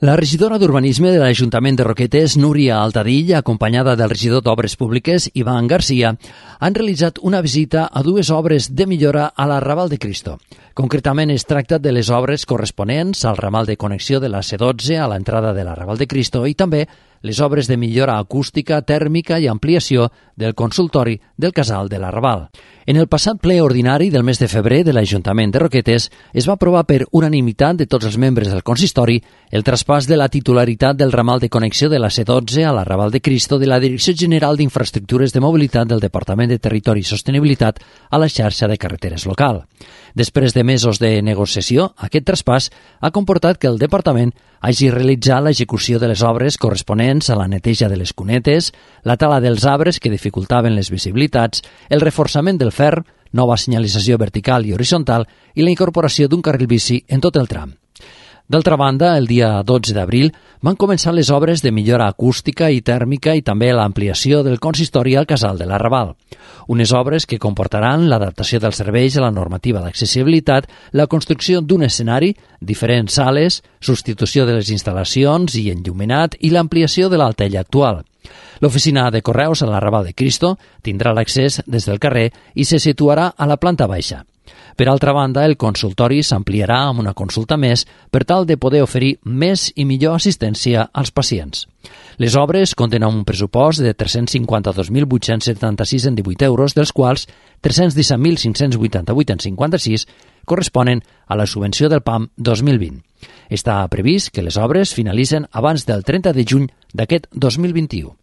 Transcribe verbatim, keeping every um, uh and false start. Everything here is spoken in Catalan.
La regidora d'Urbanisme de l'Ajuntament de Roquetes, Núria Altadill, acompanyada del regidor d'Obres Públiques, Ivan Garcia, han realitzat una visita a dues obres de millora a la Raval de Cristo. Concretament es tracta de les obres corresponents al ramal de connexió de la C dotze a l'entrada de la Raval de Cristo i també les obres de millora acústica, tèrmica i ampliació del consultori del Casal de la Raval. En el passat ple ordinari del mes de febrer de l'Ajuntament de Roquetes es va aprovar per unanimitat de tots els membres del consistori el traspàs de la titularitat del ramal de connexió de la C dotze a la Raval de Cristo de la Direcció General d'Infraestructures de Mobilitat del Departament de Territori i Sostenibilitat a la xarxa de carreteres local. Després de mesos de negociació, aquest traspàs ha comportat que el Departament hagi realitzat l'execució de les obres corresponents a la neteja de les cunetes, la tala dels arbres que dificultaven les visibilitats, el reforçament del fer, nova senyalització vertical i horitzontal i la incorporació d'un carril bici en tot el tram. D'altra banda, el dia dotze d'abril van començar les obres de millora acústica i tèrmica i també l'ampliació del consistori al Casal de la Raval. Unes obres que comportaran l'adaptació dels serveis a la normativa d'accessibilitat, la construcció d'un escenari, diferents sales, substitució de les instal·lacions i enllumenat i l'ampliació de l'altella actual. L'oficina de correus a la Raval de Cristo tindrà l'accés des del carrer i se situarà a la planta baixa. Per altra banda, el consultori s'ampliarà amb una consulta més per tal de poder oferir més i millor assistència als pacients. Les obres compten amb un pressupost de tres-cents cinquanta-dos mil vuit-cents setanta-sis en divuit euros, dels quals tres-cents disset mil cinc-cents vuitanta-vuit en cinquanta-sis corresponen a la subvenció del P A M dos mil vint. Està previst que les obres finalitzen abans del trenta de juny d'aquest dos mil vint-i-u.